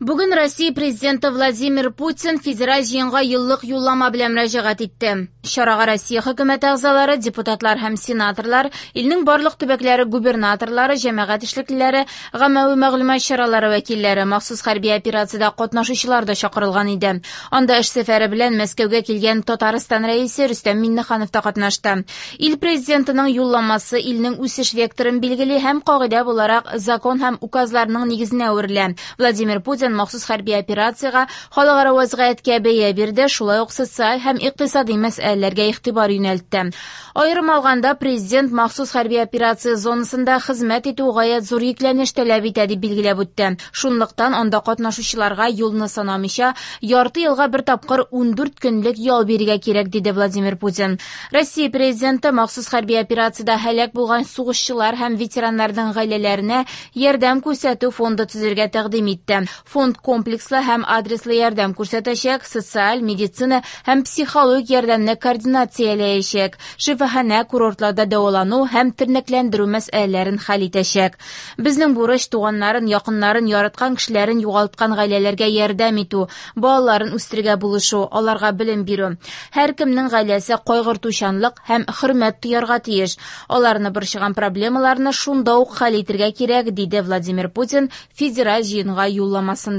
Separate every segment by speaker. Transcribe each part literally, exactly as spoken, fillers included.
Speaker 1: Бүген Россия президенты Владимир Путин федераль җыенга еллык юллама белән мөрәҗәгать итте. Чарага Россия хөкүмәте әгъзалары, депутатлар һәм сенаторлар, илнең барлык төбәкләре губернаторлары, җәмәгать эшлеклеләре, гаммәви мәгълүмат чаралары вәкилләре, махсус хәрби операциядә катнашучылар да чакырылган иде. Анда эш сәфәре белән Мәскәүгә килгән Татарстан рәисе Рөстәм Миңнеханов та катнашты. Ил президентының юлламасы илнең үсеш векторын билгели һәм кагыйдә буларак закон һәм указларның нигезенә әверелә. Владимир Путин махсус хәрби операциягә, халыкара вазгыятькә бәя бирде, шулай ук социаль һәм икътисади мәсьәләләргә игътибар юнәлтте. Аерым алганда, президент махсус хәрби операция зонасында хезмәт итү гаять зур йөкләнеш таләп итә дип билгеләп үтте. Шунлыктан анда катнашучыларга юлны санамыйча ярты елга бер тапкыр ундүрт көнлек ял бирергә кирәк, диде Владимир Путин. Россия президенты махсус хәрби операциядә һәлак булган сугышчылар һәм ветераннарның гаиләләренә ярдәм күрсәтү фонды төзергә тәкъдим итте. Фонд комплекслы һәм адреслы ярдәм күрсәтәчәк, социаль, медицина һәм психологик ярдәмне координацияләячәк, шифаханә, курортларда дәвалану һәм тернәкләндерү мәсьәләләрен хәл итәчәк. Безнең бурыч туганнарын, якыннарын, яраткан кешеләрен югалткан гаиләләргә ярдәм итү, балаларын үстерергә булышу, аларга белем бирү. Һәркемнең гаиләсе кайгыртучанлык һәм хөрмәт тоярга тиеш. Аларны борчыган проблемаларны шунда ук хәл итергә кирәк, диде Владимир Путин федераль җыенга юлламасында.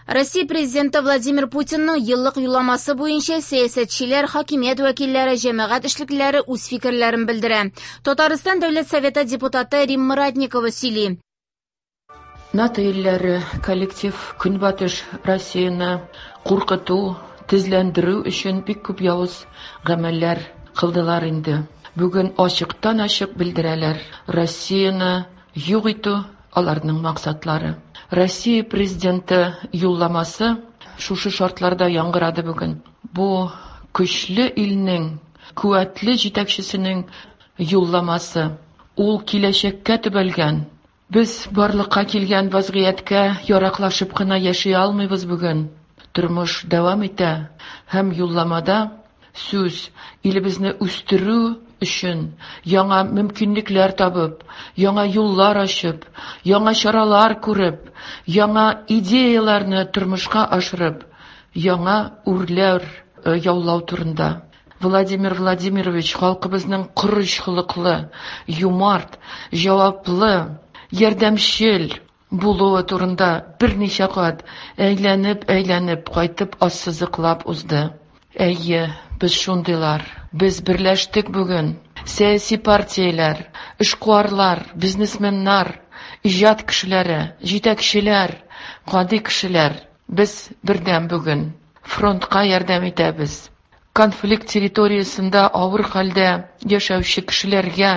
Speaker 1: Россия президенты Владимир Путинның еллык юлламасы буенча сәясәтчеләр, хакимият вәкилләре, җәмәгать эшлеклеләре үз фикерләрен белдерә. Татарстан Дәүләт Советы депутаты Римма Ратникова сөйли.
Speaker 2: НАТО илләре коллектив Көнбатыш Россияне куркыту, тезләндерү өчен бик күп явыз гамәлләр кылдылар инде. Бүген ачыктан-ачык белдерәләр: Россияне юк итү аларның максатлары. Россия президенты юлламасы шушы шартларда яңгырады бүген. Бу көчле илнең, куәтле җитәкчесенең юлламасы. Ул киләчәккә төбәлгән. Без барлыкка килгән вазгыятькә яраклашып кына яши алмыйбыз бүген. Тормыш дәвам итә һәм юлламада сүз илебезне үстерү өчен яңа мөмкинлекләр табып, яңа юллар ачып, яңа чаралар күреп, яңа идеяләрне тормышка ашырып, яңа үрләр яулау турында. Владимир Владимирович халкыбызның корыч холыклы, юмарт, җаваплы, ярдәмчел булуы турында берничә кат әйләнеп-әйләнеп кайтып ассызыклап узды. Әйе, без шундыйлар. Без берләштек бүген. Сәяси партияләр, эшкуарлар, бизнесменнар, иҗат кешеләре, җитәкчеләр, гади кешеләр. Без бердәм бүген. Фронтка ярдәм итәбез. Конфликт территориясендә авыр хәлдә яшәүче кешеләргә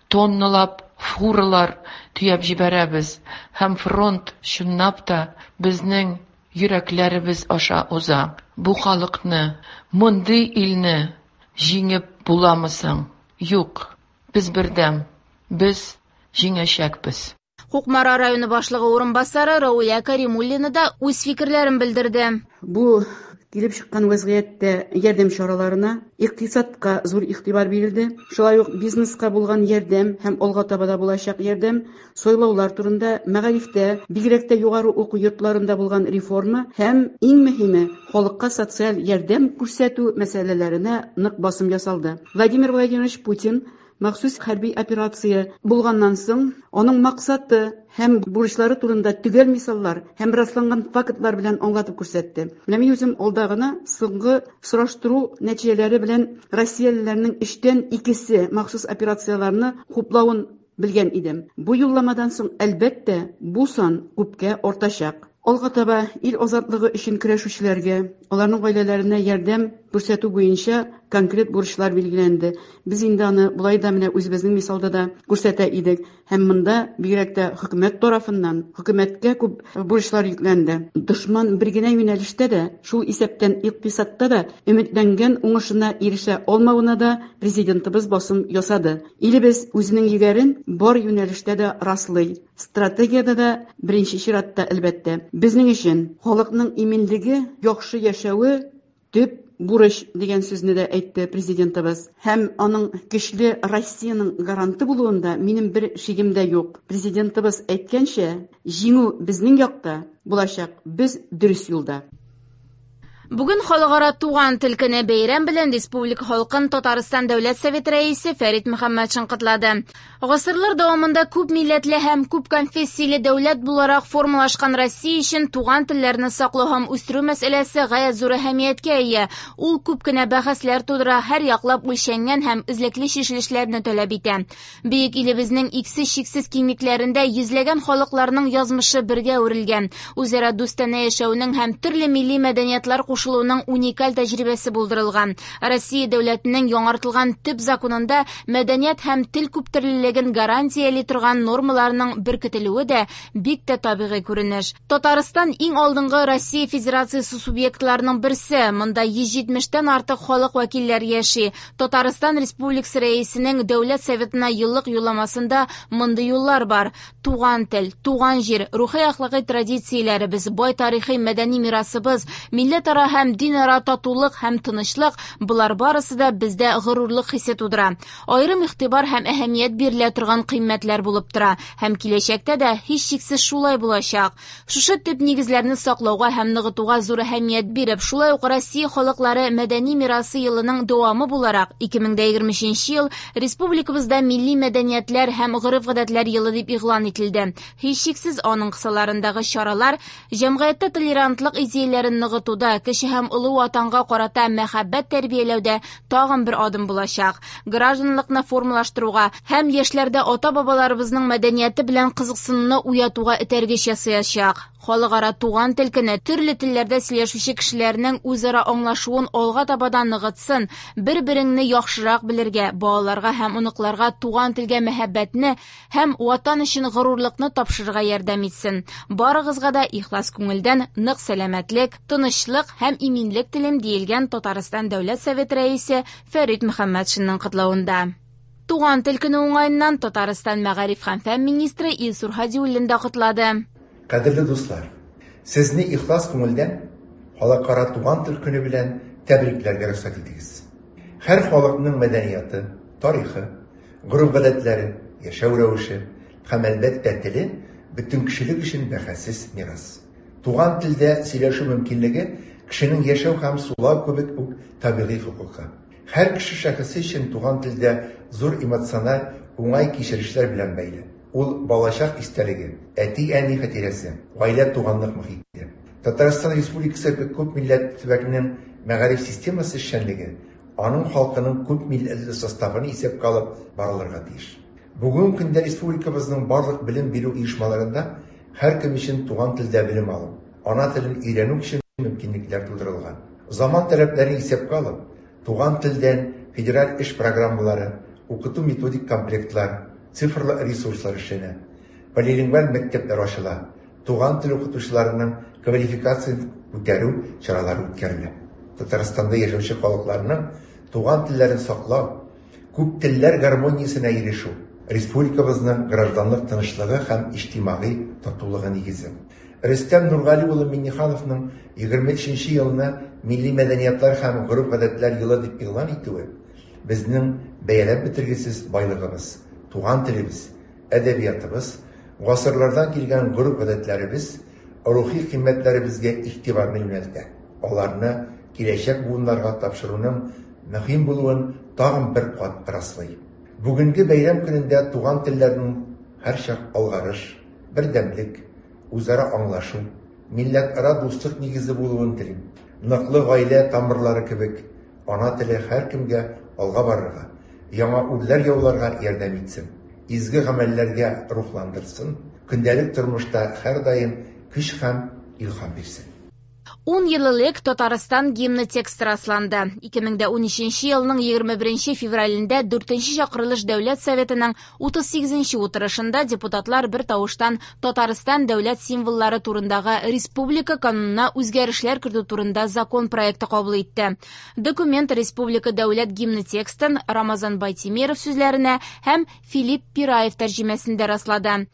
Speaker 2: тонналап фуралар төяп җибәрәбез. Һәм фронт чынлап та безнең йөрәкләребез аша уза. Бу халыкны, мондый илне җиңеп буламы соң? Юк, без бердәм, без җиңәчәкбез.
Speaker 1: Кукмара районы башлыгы урынбасары Рауля Каримуллина да үз фикерләрен белдерде.
Speaker 3: Бу килеп чыккан вазгыятьтә ярдәм чараларына, икътисадка зур игътибар бирелде. Шулай ук бизнеска булган ярдәм һәм алга таба да булачак ярдәм, сайлаулар турында, мәгарифтә, бигрәк тә югары уку йортларында булган реформа һәм иң мөһиме халыкка социаль ярдәм күрсәтү мәсьәләләренә нык басым ясалды. Владимир Владимирович Путин махсус хәрби операция булганнан соң аның максаты һәм бурычлары турында төгәл мисаллар һәм расланган фактлар белән аңлатып күрсәтте. Менә мин үзем алда гына соңгы сораштыру нәтиҗәләре белән россиялеләрнең өчтән икесе махсус операцияләрне хуплавын белгән идем. Бу юлламадан соң, әлбәттә, бу сан күпкә артачак. Алга таба ил азатлыгы өчен көрәшүчеләргә, аларның гаиләләренә ярдәм күрсәтү буенча конкрет бурычлар билгеләнде. Без инде аны болай да менә үзебезнең мисалда да күрсәтә идек. Һәм монда бигрәк тә хөкүмәт тарафыннан хөкүмәткә күп бурычлар йөкләнде. Дошман бер генә юнәлештә дә, шул исәптән икътисадта да өметләнгән уңышына ирешә алмавына да президентыбыз басым ясады. Илебез үзенең егәрен бар юнәлештә дә раслый. Стратегиядә дә беренче чиратта, әлбәттә. Безнең өчен халыкның иминлеге, яхшы яшәве төп бурыч дигән сүзне дә әйтте президентыбыз. Һәм аның көчле Россиянең гаранты булуында минем бер шигем дә юк. Президентыбыз әйткәнчә, җиңү безнең якта булачак, без дөрес юлда.
Speaker 1: Бүген Халыкара туган тел көне бәйрәм белән республика халкын Татарстан Дәүләт Советы рәисе Фәрит Мөхәммәтшин котлады. Гасырлар дәвамында күп милләтле һәм күп конфессияле дәүләт буларак формалашкан Россия өчен туган телләрне саклау һәм үстерү мәсьәләсе гаять зур әһәмияткә ия. Ул күп кенә бәхәсләр тудыра, һәр яклап үлчәнгән һәм эзлекле чишелешләрне таләп итә. Бөек илебезнең иксез-чиксез киңлекләрендә йөзләгән халыкларның язмышы бергә үрелгән. Үзара дустанә яшәүнең һәм төрле милли мәдәниятлар кушылуының уникаль тәҗрибәсе булдырылган. Россия дәүләтенең яңартылган төп законында мәдәният һәм тел күптөрлелеген гарантияли торган нормаларның беркетелүе дә бик тә табигый күренеш. Татарстан иң алдынгы Россия Федерациясе субъектларының берсе. Монда йөз җитмештән артык халык вәкилләре яши. Татарстан Республикасы рәисенең Дәүләт Советына еллык юлламасында мондый юллар бар: туган тел, туган җир, рухи әхлакый традицияләребез, бай тарихи мәдәни мирасыбыз, милләтара һәм динара татулык һәм тынычлык – болар барысы да бездә горурлык хисе тудыра. Аерым игътибар һәм әһәмият бирелә торган кыйммәтләр булып тора һәм киләчәктә дә һичшиксез шулай булачак. Шушы төп нигезләрне саклауга һәм ныгытуга зур әһәмият биреп, шулай ук Россия халыклары мәдәни мирасы елының дәвамы буларак ике мең егерме өченче ел республикабызда милли мәдәниятләр һәм гореф-гадәтләр елы дип игълан ителде. Һичшиксез аның кысаларындагы чаралар җәмгыятьтә толерантлык идеяләрен ныгытуда, кеше һәм олы ватанга карата мәхәббәт тәрбияләүдә тагын бер адым булачак. Гражданлыкны формалаштыруга һәм яшьләрдә ата-бабаларыбызның мәдәнияте белән кызыксынуны уятуга этәргеч ясаячак. Халыкара туган тел көне төрле телләрдә сөйләшүче кешеләрнең үзара аңлашуын алга таба да ныгытсын, бер-береңне яхшырак белергә, балаларга һәм оныкларга туган телгә мәхәббәтне һәм ватан өчен горурлыкны тапшырырга ярдәм итсен. Барыгызга да ихлас күңелдән нык сәламәтлек, тынычлык һәм иминлек телим, диелгән Татарстан Дәүләт Советы рәисе Фәрит Мөхәммәтшинның котлавында. Туган тел көне уңаеннан Татарстан мәгариф һәм фән министры Илсур Һадиуллин да котлады.
Speaker 4: Кадерле дуслар, сезне ихлас күңелдән Халыкара туган тел көне белән тәбрикләргә рөхсәт итегез. Һәр халыкның мәдәнияте, тарихы, гореф-гадәтләре, яшәү рәвеше һәм әлбәттә теле бөтен кешелек өчен бәһасез мирас. Туган телдә сөйләшү мөмкинлеге кешенең яшәү һәм сулау кебек үк табигый хокукы. Һәр кеше шәхесе өчен туган телдә зур эмоциональ уңай кичерешләр белән бәйле. Ул балачак истәлеге, әти-әни хатирәсе, гаилә туганлык мохите. Татарстан Республикасы күп милләтле төбәкнең мәгариф системасы эшчәнлеге аның халкының күп милләтле составын исәпкә алып барылырга тиеш. Бүгенге көндә республикабызның барлык белем бирү оешмаларында һәркем өчен туган телдә белем алу, ана телен өйрәнү өчен мөмкинлекләр тудырылган. Заман таләпләрен исәпкә алып, туган телдән федераль эш программалары, укыту методик комплектлар, цифрлы ресурслар эшләнә. Полилингваль мәктәпләр ачыла, туган тел укытучыларының квалификациясен күтәрү чаралары үткәрелә. Татарстанда яшәүче халыкларның туган телләрен саклау, күп телләр гармониясенә ирешү республикабызның гражданлык тынычлыгы һәм иҗтимагый татулыгы нигезе. Рөстәм Нургали улы Миңнехановның егерме өченче елны милли мәдәниятләр һәм гореф-гадәтләр елы дип игълан итүе безнең бәяләп бетергесез байлыгыбыз, туган телебез, әдәбиятыбыз, гасырлардан килгән гореф-гадәтләребез, рухи кыйммәтләребезгә игътибарны юнәлтә. Аларны киләчәк буыннарга тапшыруның мөһим булуын тагын бер кат раслый. Бүгенге бәйрәм көнендә туган телләрнең һәрчак алгарыш, бердәмлек, үзара аңлашу, милләтара дуслык нигезе булуын телим. Ныклы гаилә тамырлары кебек ана теле һәркемгә алга барырга, яңа үрләр яуларга ярдәм итсен, изге гамәлләргә рухландырсын, көндәлек тормышта һәрдаим көч һәм илһам бирсен.
Speaker 1: Ун ел элек Татарстан гимны тексты расланды. ике мең унөченче елның егерме беренче февралендә дүртенче чакырылыш Дәүләт Советының утыз сигезенче утырышында депутатлар бер тавыштан Татарстан дәүләт символлары турындагы республика канунына үзгәрешләр кертү турында закон проекты кабул итте. Документ республика дәүләт гимны текстын Рамазан Байтимеров сүзләренә һәм Филипп Пираев тәрҗемәсендә раслады.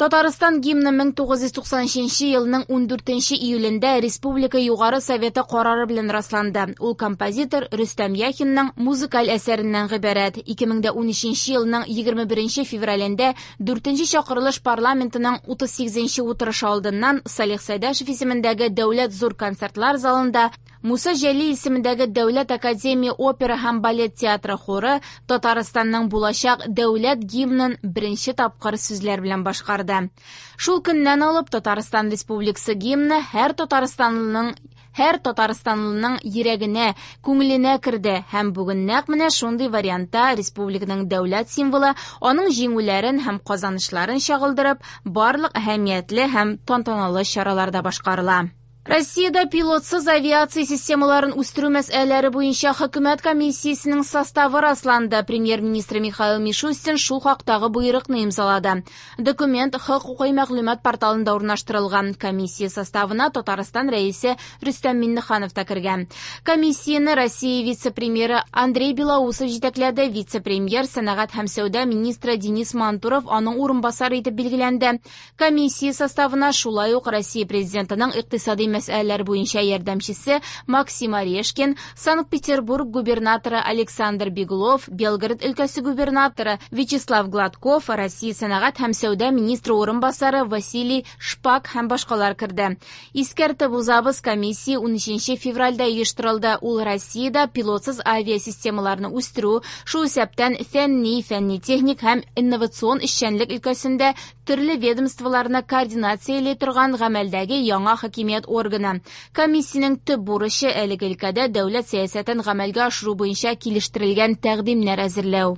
Speaker 1: Татарстан гимны мең тугыз йөз туксан өченче елның ундүртенче июлендә Республика Югары Советы карары белән расланды. Ул композитор Рөстәм Яхинның музыкаль әсәреннән гыйбарәт. Ике мең дә унөченче елның егерме беренче февралендә дүртенче чакырылыш парламентының утыз сигезенче утырышы алдыннан Салих Сәйдәшев исемендәге Дәүләт зур концертлар залында Муса Җәлил исемендәге Дәүләт академия опера һәм балет театры хоры Татарстанның булачак дәүләт гимнын беренче тапкыр сүзләр белән башкарды. Шул көннән алып Татарстан Республикасы гимны һәр татарстанлының һәр татарстанлының йөрәгенә, күңеленә керде һәм бүген нәкъ менә шундый вариантта республиканың дәүләт символы аның җиңүләрен һәм казанышларын чагылдырып, барлык әһәмиятле һәм тантаналы чараларда башкарыла. Россиядә пилотсыз авиация системаларын үстерү мәсьәләләре буенча хөкүмәт комиссиясенең составы расланды. Премьер-министр Михаил Мишустин шул хактагы боерыкны имзалады. Документ хокукый мәгълүмат порталында урнаштырылган. Комиссия составына Татарстан рәисе Рөстәм Миңнеханов та кергән. Комиссияне Россия вице-премьеры Андрей Белоусов җитәкләде. Вице-премьер, сәнәгать һәм сәүдә министры Денис Мантуров аның урынбасары итеп билгеләнде. Комиссия составына шулай ук Россия президентының икътисади мәсьәләләр буенча ярдәмчесе Максим Орешкин, Санкт-Петербург губернаторы Александр Беглов, Белгород өлкәсе губернаторы Вячеслав Гладков, Россия сәнәгать һәм сәүдә министры урынбасары Василий Шпак һәм башкалар керде. Искәртеп узабыз, комиссия унөченче февральдә оештырылды. Ул Россиядә пилотсыз авиасистемаларны үстерү, шул исәптән фәнни, фәнни-техник һәм инновацион эшчәнлек өлкәсендә төрле ведомстволарны координацияли торган гамәлдәге яңа хакимият органы. Комиссиянең төп бурычы әлеге өлкәдә дәүләт сәясәтен гамәлгә ашыру буенча килештерелгән тәкъдимнәр әзерләү.